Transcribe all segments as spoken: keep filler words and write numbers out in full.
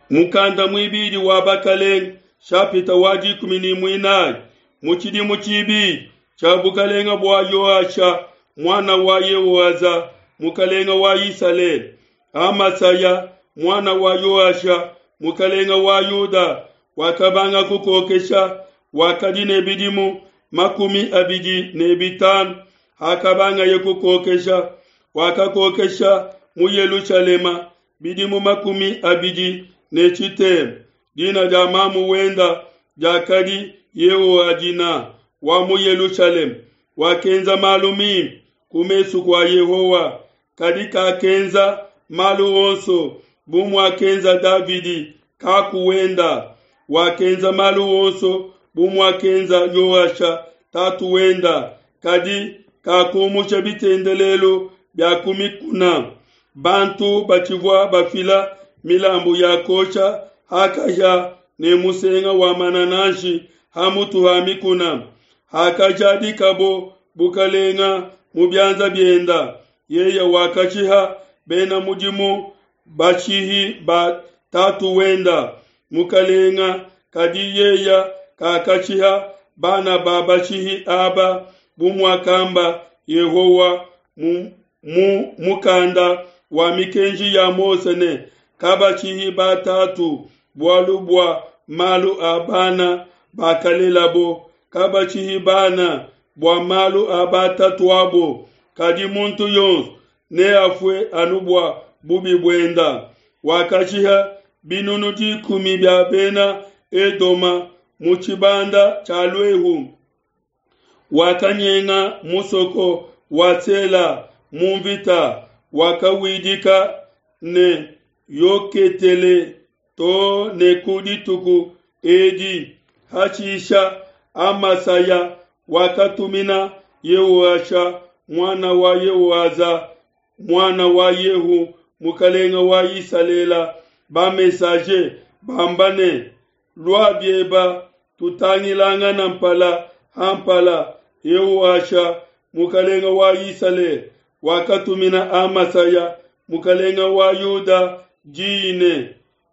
Mukanda muibidi wa Bakelenge, shapita wa dikumi ne muinayi. Mu tshidimu tshibidi tshia bukelenge bua Yoasha muana wa Yehoaza mukelenge wa Isalele, Amasaya muana wa Yoasha mukelenge wa Yuda wakabanga kukokesha, wakadi ne bidimu makumi abidi ne bitanu hakabangaye kukokesha. Wakakokesha mu Yelushalema bidimu makumi abidi ne tshitema. Dina dia mamu wenda diakadi Yehoadina wa mu Yelushalema. Wakenza malu mimpe ku mesu kua Yehowa, kadi kakenza malu onso bu muakenza Davidi kaku wenda. Wakenza malu onso bu muakenza Yoasha tatu wenda, kadi kakumusha bitendelelu bia ku mikuna. Bantu batshivua bafila milambu ya kuosha ha kahia ne musenga wa manananshi ha mutu ha mikuna. Hakajadikabo bukalenga mu bianza bienda, yeye wakashiha bena mudimu bashihi ba tatu wenda mukalenga, kadi yeye kakashiha bana ba bashihi aba bu muakamba Yehowa mu, mu mukanda wa mikenji ya Mose ne, kabashihi batatu bualu bua malu a bana bakalelabo, kabashihi bana bua malu a batatuabo, kadi muntu yonso neafue anu bua bubi buenda. Wakashiha binunu dikumi bia bena Edoma mu tshibanda tshia Luehu. Wakanyenga musoko wa Sela mu mvita, wakawidika ne Yoketele to ne ku dituku edi. Hashisha Amasaya wakatumina Yehoasha muana wa Yehoaza muana wa Yehu mukelenge wa Isalele ba-messager bamba ne, Lua bieba tutangilangana mpala ha mpala. Yehoasha mukelenge wa Isalele wakatumina Amasaya mukelenge wa Yuda di ne,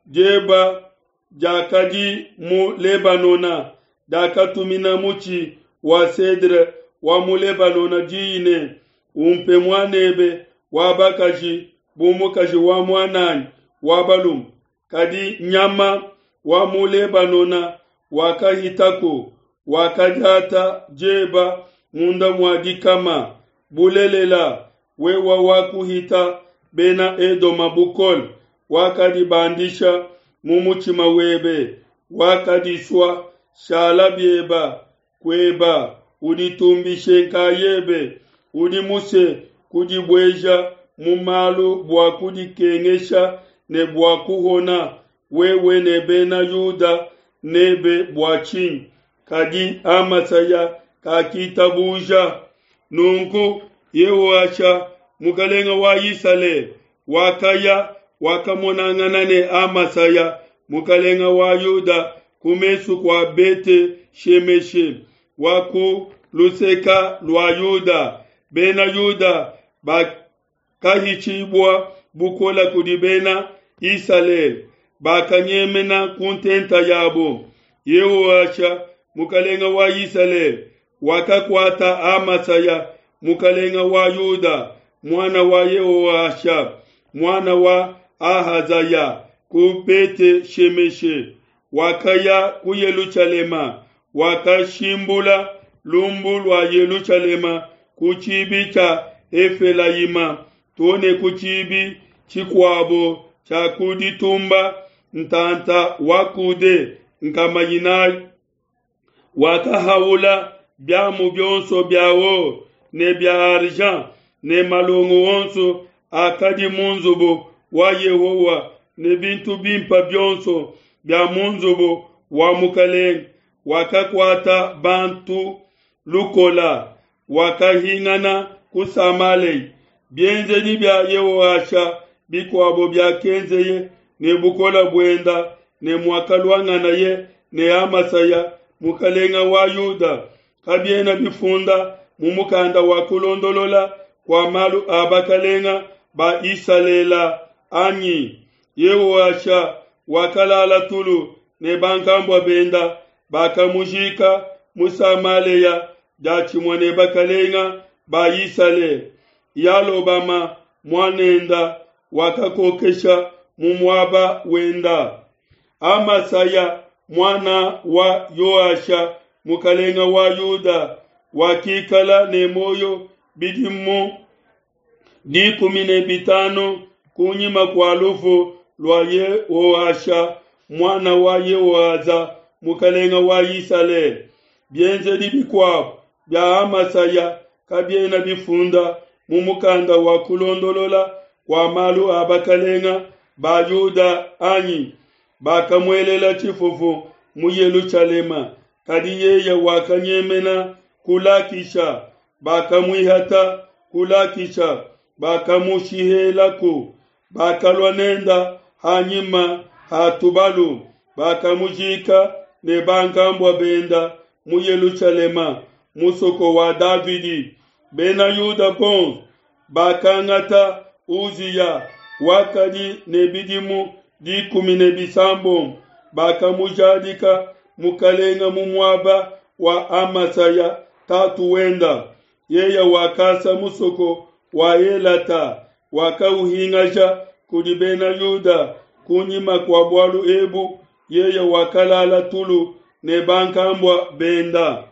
Dieba diakadi mu Lebanona diakatumina mutshi wa cedre wa mu Lebanona di ne, Umpe muan'ebe wa bakaji bu mukaji wa muan'anyi wa balume. Kadi nyama wa mu Lebanona wakahitaku, wakadiata dieba munda mua dikama. Bulelela, wewe wakuhita Bena Edoma bukole, wakadibandisha mu mutshima webe, wakadisua. Shala bieba kueba, uditumbishe nkayebe. Udi musue kudibueja mu malu bua kudikengesha ne bua kuhona, wewe ne Bena Yuda n'ebe bua tshinyi? Kadi Amasaya kakitabuja. Nunku Yehoasha mukelenge wa Isalele wakaya, wakamonangana ne Amasaya mukelenge wa Yuda ku mesu kua Bete-shemeshe wa ku luseke lua Yuda. Bena Yuda bakahitshibua bukole kudi Bena Isalele, bakanyemena ku ntenta yabo. Yehoasha mukelenge wa Isalele wakakuata Amasaya mukelenge wa Yuda muana wa Yehoasha muana wa Ahazaya ku Bete-shemeshe, wakaya ku Yelushalema, wakashimbula lumbu lua Yelushalema ku tshibi tshia Efelayima to ne ku tshibi tshikuabo tshia ku ditumba ntanta wa kude nkama inayi. Wakahaula biamu bionso bia or ne bia argent ne malongo onso akadi mu nzubu wa Yehowa ne bintu bimpe bionso bia mu nzubu wa mukelenge. Wakakuata bantu lukola, wakahingana ku Samalea. Bienzedi bia Yehoasha bikuabo biakenzeye ne bukole buenda ne muakaluanganaye ne Amasaya mukelenge wa Yuda kabiena bifunda mu mukanda wa kulondolola kua malu a bakelenge ba Isalele anyi? Yehoasha wakalala tulu ne bankambua benda, bakamujika mu Samalea diatshimue ne bakalenga ba Isalele. Yalobama muanenda wakakokesha mu muaba wenda. Amasaya muana wa Yoasha mukalenga wa Yuda wakikala ne muoyo bidimu dikumi ne bitanu kunyima kua lufu lua Yehoasha muana wa Yehoaza mukalenga wa Isalele. Bienzedi bikuabu bia Amasaya kabiena bifunda mu mukanda wa kulondolola kua malu a bakalenga ba Yuda anyi? Bakamuelela tshifufu mu Yelushalema, kadi yeye wakanyemena ku Lakisha. Bakamuihata ku Lakisha, bakamushihelaku. Bakalua nenda ha nyima ha tubalu, bakamujika ne bankambua benda mu Yelushalema, musoko wa Davidi. Bena Yuda bonso bakangata Uziya, wakadi ne bidimu dikumi ne bisambombo, bakamujadika mukalenga mu muaba wa Amasaya tatu wenda. Yeye wakasa musoko wa Elata, wakauhingaja kudi Bena Yuda. Kunyima kua bualu ebu yeye wakalala tulu ne bankambua benda.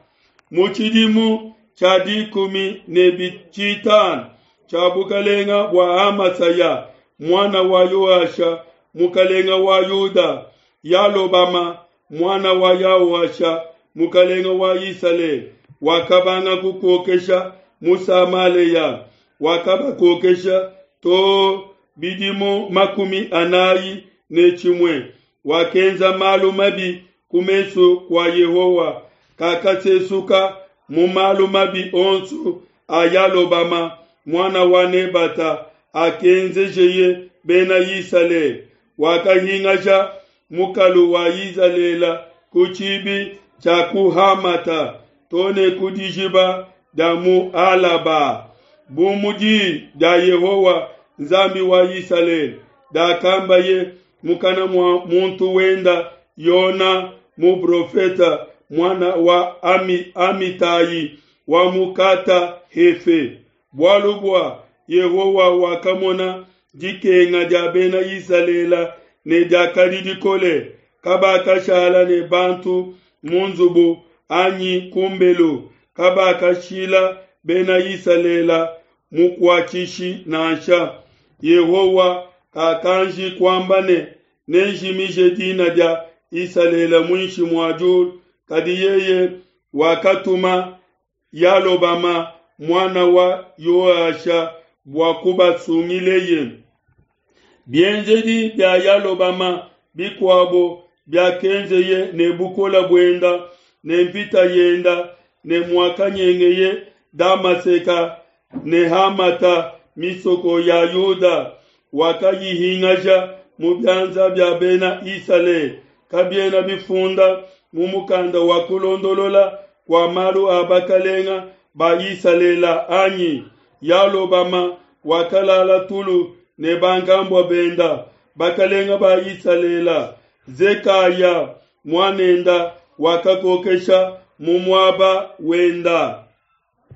Mu tshidimu tshia dikumi ne tshitanu tshia bukalenga bua Amasaya muana wa Yoasha mukalenga wa Yuda, Yalobama muana wa Yaoasha mukalenga wa Isalele wakabanga kukokesha mu Samalea. Wakabakokesha to bidimu makumi anayi ne tshimue. Wakenza malu mabi ku mesu kua Yehowa, kakasesuka mu malu mabi onso a Yalobama muana wa Nebata akenzejeye Bena Isalele. Wakahingaja mukalu wa Izalele ku tshibi tshia ku Hamata to ne ku dijiba dia mu Alaba, bu mu diyi dia Yehowa Nzambi wa Isalele diakambaye mukana mua muntu wenda Yona muprofeta muana wa Ami, Amitai wa mu Kata Hefe. Bualu bua Yehowa wakamona dikenga dia Bena Isalele ne diakadi dikole, kabakashala ne bantu mu nzubu anyi kumbelu, kabakashila Bena Isalele mukuatshishi nansha. Yehowa kakanji kuamba ne, nenjimije dina dia Isalele muinshi mua diulu, kadi yeye wakatuma Yalobama muana wa Yoasha bua kubasungileye. Bienzedi bia Yalobama bikuabo biakenzeye ne bukola buenda ne mvita yenda ne muakanyengeye Damaseka ne Hamata misoko ya Yuda, wakayihingaja mu bianza bia Bena Isalele. Kabiena bifunda mu mukanda wa kulondolola kua malu a bakalenga ba Isalele anyi? Yalobama wakalala tulu ne bankambua benda, bakalenga ba Isalele. Zekaya muanenda wakakokesha mu muaba wenda.